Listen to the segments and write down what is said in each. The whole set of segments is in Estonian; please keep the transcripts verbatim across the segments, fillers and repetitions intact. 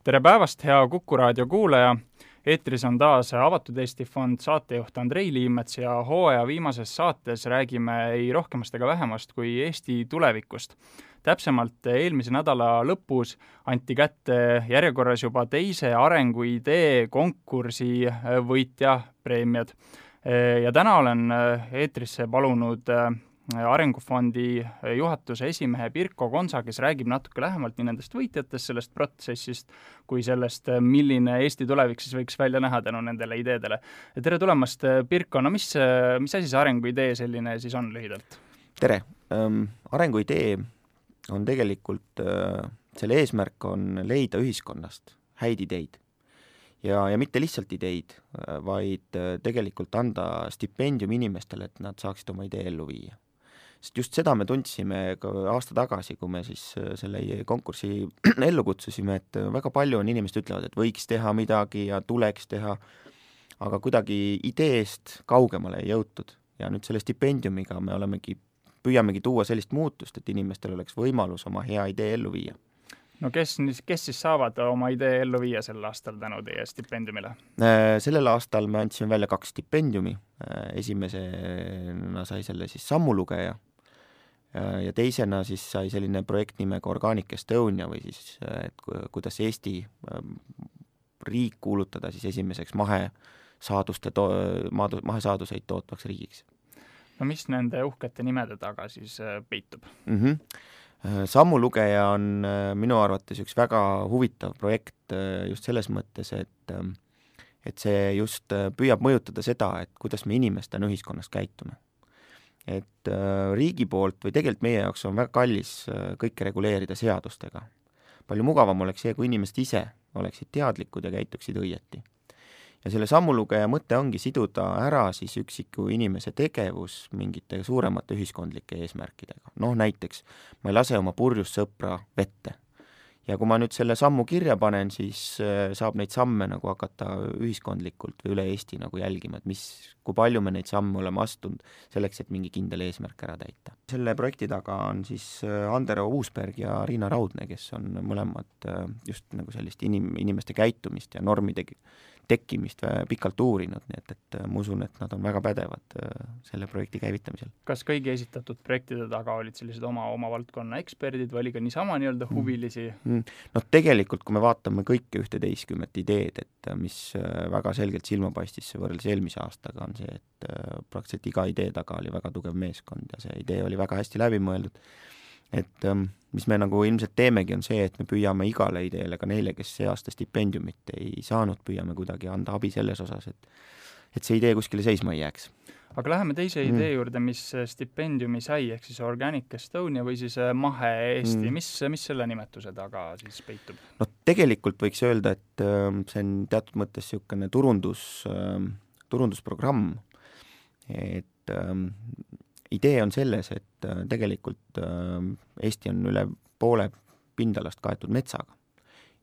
Tere päevast, hea Kuku raadio kuulaja! Eetris on taas Avatud Eesti Fond saatejuht Andrei Liimets ja hooaja viimases saates räägime ei rohkemast ega vähemast kui Eesti tulevikust. Täpsemalt eelmise nädala lõpus anti kätte järjekorras juba teise arenguidee konkursi võitja preemiad. Ja täna olen eetrisse palunud Arengufondi juhatuse esimehe Pirko Konsa, kes räägib natuke lähemalt nii nendest võitjatest, sellest protsessist, kui sellest, milline Eesti tulevik siis võiks välja näha tänu nendele ideedele. Tere tulemast, Pirko, no mis, mis asi see arenguidee selline siis on lühidalt? Tere! Ähm, arenguidee on tegelikult, äh, selle eesmärk on leida ühiskonnast häid ideid. Ja, ja mitte lihtsalt ideid, vaid tegelikult anda stipendium inimestele, et nad saaksid oma idee ellu viia. Sest just seda me tundsime ka aasta tagasi, kui me siis selle konkursi ellu kutsusime, et väga palju on inimesed ütlevad, et võiks teha midagi ja tuleks teha, aga kuidagi ideest kaugemale ei jõutud. Ja nüüd selle stipendiumiga me olemegi, püüamegi tuua sellist muutust, et inimestel oleks võimalus oma hea idee ellu viia. No kes, kes siis saavad oma idee ellu viia sel aastal tänu teie stipendiumile? Sellel aastal me andsime välja kaks stipendiumi. Esimesena sai selle siis sammulugeja ja teisena siis sai selline projekt nimega Organic Estonia või siis, et kuidas Eesti riik kuulutada siis esimeseks mahesaaduste to- mahesaaduseid tootvaks riigiks. No mis nende uhkete nimede taga siis peitub? Mhm. Sammulugeja on minu arvates üks väga huvitav projekt just selles mõttes, et, et see just püüab mõjutada seda, et kuidas me inimestena ühiskonnas käitume. Et riigi poolt või tegelikult meie jaoks on väga kallis kõike reguleerida seadustega. Palju mugavam oleks see, kui inimesed ise oleksid teadlikud ja käituksid õieti. Ja selle sammulugeja mõte ongi siduda ära siis üksiku inimese tegevus mingite suuremate ühiskondlike eesmärkidega. Noh, näiteks ma ei lase oma purjus sõpra vette. Ja kui ma nüüd selle sammu kirja panen, siis saab neid samme nagu hakata ühiskondlikult või üle Eesti nagu jälgima, et mis, kui palju me neid samme oleme astunud selleks, et mingi kindel eesmärk ära täita. Selle projekti taga on siis Andero Uusberg ja Riina Raudne, kes on mõlemad just nagu sellist inim, inimeste käitumist ja normide tekkimist pikalt uurinud, nii et, et ma usun, et nad on väga pädevad selle projekti käivitamisel. Kas kõigi esitatud projektide taga olid sellised oma, oma valdkonna eksperdid või oli ka niisama nii-öelda huvilisi? Mm. No tegelikult, kui me vaatame kõike ühteteistkümmet ideed, et mis väga selgelt silma paistis võrreldes eelmise aastaga, on see, et praktiliselt iga idee taga oli väga tugev meeskond ja see idee oli väga hästi läbi mõeldud. Et mis me nagu ilmselt teemegi on see, et me püüame igale ideele, ka neile, kes see aasta stipendiumit ei saanud, püüame kuidagi anda abi selles osas, et, et see idee kuskile seisma ei jääks. Aga läheme teise mm. idee juurde, mis stipendiumi sai, ehk siis Organic Estonia või siis Mahe Eesti. Mm. Mis, mis selle nimetuse taga siis peitub? No tegelikult võiks öelda, et see on teatud mõttes niisugune turundus, turundusprogramm, et idee on selles, et tegelikult Eesti on üle poole pindalast kaetud metsaga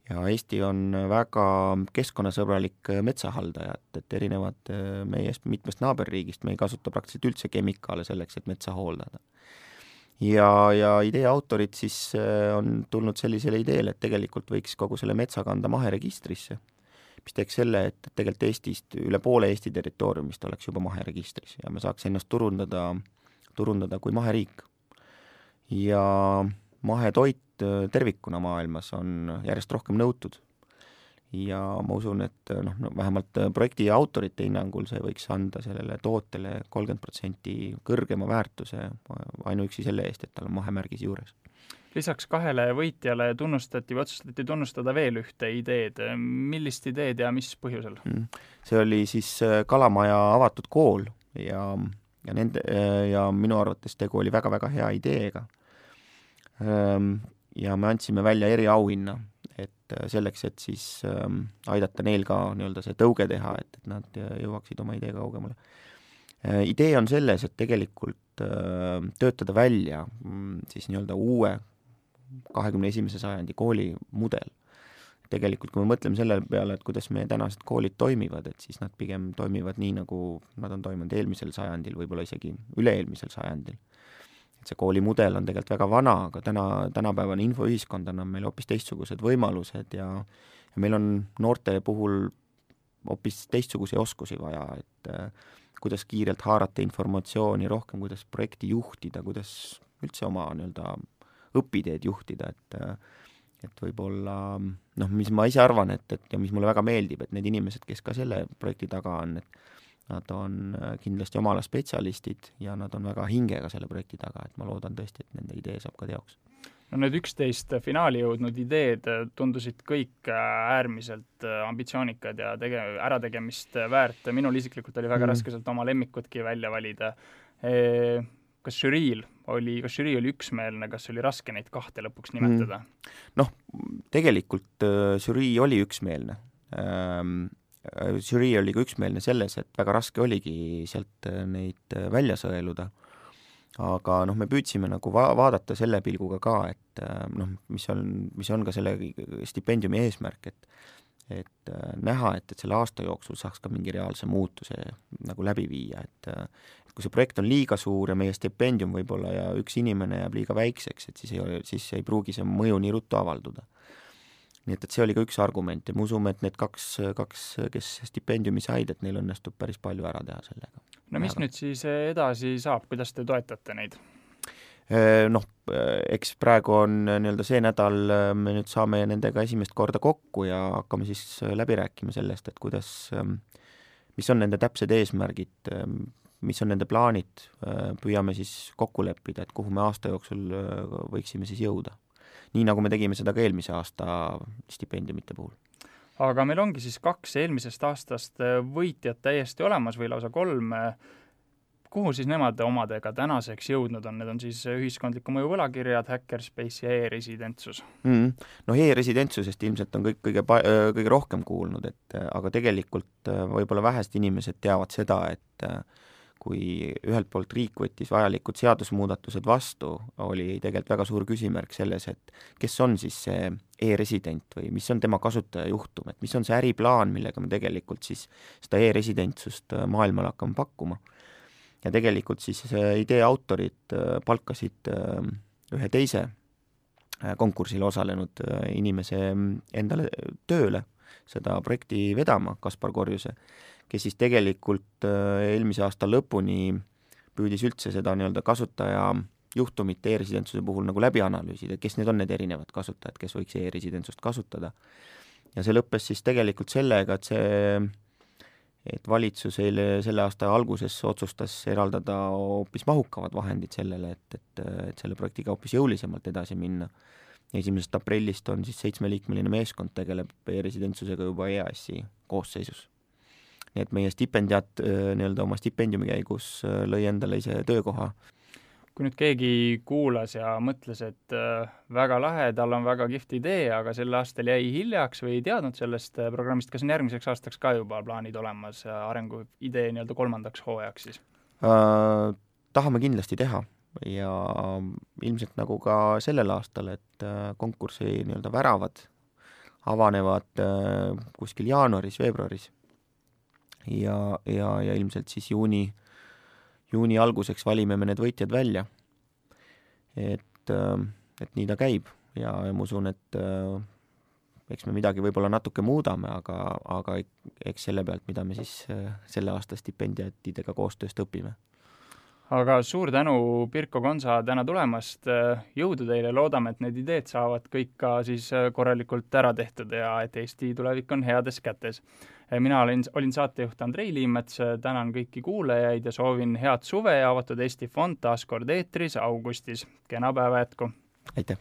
ja Eesti on väga keskkonnasõbralik metsahaldaja, et erinevad meiest mitmest naaberriigist me ei kasuta praktiliselt üldse kemikaale selleks, et metsa hooldada. Ja, ja idee autorid siis on tulnud sellisele ideele, et tegelikult võiks kogu selle metsa kanda maheregistrisse, mis teeks selle, et tegelikult Eestist üle poole Eesti territooriumist oleks juba maheregistris ja me saaks ennast turundada turundada kui maheriik. Ja mahetoit tervikuna maailmas on järjest rohkem nõutud. Ja ma usun, et noh, no, vähemalt projekti autorite hinnangul see võiks anda sellele tootele kolmkümmend protsenti kõrgema väärtuse ainuüksi selle eest, et tal on mahemärgis juures. Lisaks kahele võitjale tunnustati või otsustati tunnustada veel ühte ideed. Millist ideed ja mis põhjusel? See oli siis Kalamaja avatud kool ja Ja, nende, ja minu arvates tegu oli väga-väga hea ideega. Ja me andsime välja eriauhinna, et selleks, et siis aidata neil ka nii-öelda see tõuge teha, et, et nad jõuaksid oma idee kaugemale. Idee on selles, et tegelikult töötada välja siis nii-öelda uue kahekümne esimese sajandi koolimudel. Tegelikult, kui me mõtleme selle peale, et kuidas meie tänased koolid toimivad, et siis nad pigem toimivad nii, nagu nad on toimunud eelmisel sajandil, võib-olla isegi üle-eelmisel sajandil. et see koolimudel on tegelikult väga vana, aga täna, tänapäevane infoühiskond annab meile hoopis teistsugused võimalused ja, ja meil on noorte puhul hoopis teistsuguseid oskusi vaja, et äh, kuidas kiirelt haarata informatsiooni rohkem, kuidas projekti juhtida, kuidas üldse oma nii-öelda õpiteed juhtida, et et võib-olla, noh, mis ma ise arvan, et, et ja mis mulle väga meeldib, et need inimesed, kes ka selle projekti taga on, et nad on kindlasti oma ala spetsialistid ja nad on väga hingega selle projekti taga, et ma loodan tõesti, et nende idee saab ka teoks. No need üksteist finaali jõudnud ideed tundusid kõik äärmiselt ambitsioonikad ja tege-, ärategemist väärt. Minul isiklikult oli väga mm. raske sealt oma lemmikutki välja valida. E, kas žüriil oli, kas žürii oli üksmeelne, kas oli raske neid kahte lõpuks nimetada? Mm. Noh, tegelikult žürii oli üksmeelne. Ähm, žürii oli ka üksmeelne selles, et väga raske oligi sealt neid välja sõeluda. Aga noh, me püüdsime nagu va- vaadata selle pilguga ka, et noh, mis on, mis on ka selle stipendiumi eesmärk, et et näha, et, et selle aasta jooksul saaks ka mingi reaalse muutuse nagu läbi viia, et, et kui see projekt on liiga suur ja meie stipendium võib-olla ja üks inimene jääb liiga väikseks, et siis ei, siis ei pruugi see mõju nii ruttu avalduda. Nii et, et see oli ka üks argument ja me usume, et need kaks, kaks, kes stipendiumi said, et neil õnnestub päris palju ära teha sellega. No mis nüüd siis edasi saab, kuidas te toetate neid? Noh, eks praegu on nii-öelda see nädal, me nüüd saame nendega esimest korda kokku ja hakkame siis läbi rääkima sellest, et kuidas, mis on nende täpsed eesmärgid, mis on nende plaanid, püüame siis kokku leppida, et kuhu me aasta jooksul võiksime siis jõuda. Nii nagu me tegime seda ka eelmise aasta stipendiumite puhul. Aga meil ongi siis kaks eelmisest aastast võitjat täiesti olemas või lausa kolm. Kuhu siis nemad omadega tänaseks jõudnud on? Need on siis ühiskondliku mõju võlakirjad, Hackerspace ja e-residentsus. Mm. No e-residentsusest ilmselt on kõik kõige, kõige rohkem kuulnud, et, aga tegelikult võib-olla vähest inimesed teavad seda, et kui ühelt poolt riik võttis vajalikud seadusmuudatused vastu, oli tegelikult väga suur küsimärk selles, et kes on siis see e-resident või mis on tema kasutaja juhtum, et mis on see äriplaan, millega me tegelikult siis seda e-residentsust maailmale hakkame pakkuma. Ja tegelikult siis idee autorid palkasid ühe teise konkursil osalenud inimese endale tööle seda projekti vedama, Kaspar Korjuse, kes siis tegelikult eelmise aasta lõpuni püüdis üldse seda nii-öelda kasutaja juhtumit e-residentsuse puhul nagu läbi analüüsida, kes need on need erinevad kasutajad, kes võiks e-residentsust kasutada. Ja see lõppes siis tegelikult sellega, et see et valitsus eile selle aasta alguses otsustas eraldada hoopis mahukavad vahendid sellele, et, et, et selle projektiga hoopis jõulisemalt edasi minna. Esimesest aprillist on siis seitsmeliikmeline meeskond tegeleb e-residentsusega juba E A S-i koosseisus. Nii et meie stipendiat nii-öelda oma stipendiumi käigus lõi endale ise töökoha. Kui nüüd keegi kuulas ja mõtles, et väga lahe, tal on väga kihvt idee, aga sel aastal jäi hiljaks või ei teadnud sellest programmist, kas on järgmiseks aastaks ka juba plaanid olemas arengu idee nii-öelda kolmandaks hooajaks siis? Äh, tahame kindlasti teha ja ilmselt nagu ka sellel aastal, et konkursi nii-öelda väravad avanevad kuskil jaanuaris, veebruaris ja, ja, ja ilmselt siis juuni juuni alguseks valime me need võitjad välja. Et, et nii ta käib ja, ja ma usun, et eks me midagi võib-olla natuke muudame, aga, aga eks selle pealt, mida me siis selle aasta stipendiatidega koostööst õpime. Aga suur tänu, Pirko Konsa, täna tulemast. Jõudu teile, loodame, et need ideed saavad kõik ka siis korralikult ära tehtud ja et Eesti tulevik on heades kätes. Mina olin, olin saatejuht Andrei Liimets, tänan kõiki kuulajaid ja soovin head suve ja avatud Eesti Fond taas kord eetris augustis. Kena päeva jätku! Aitäh!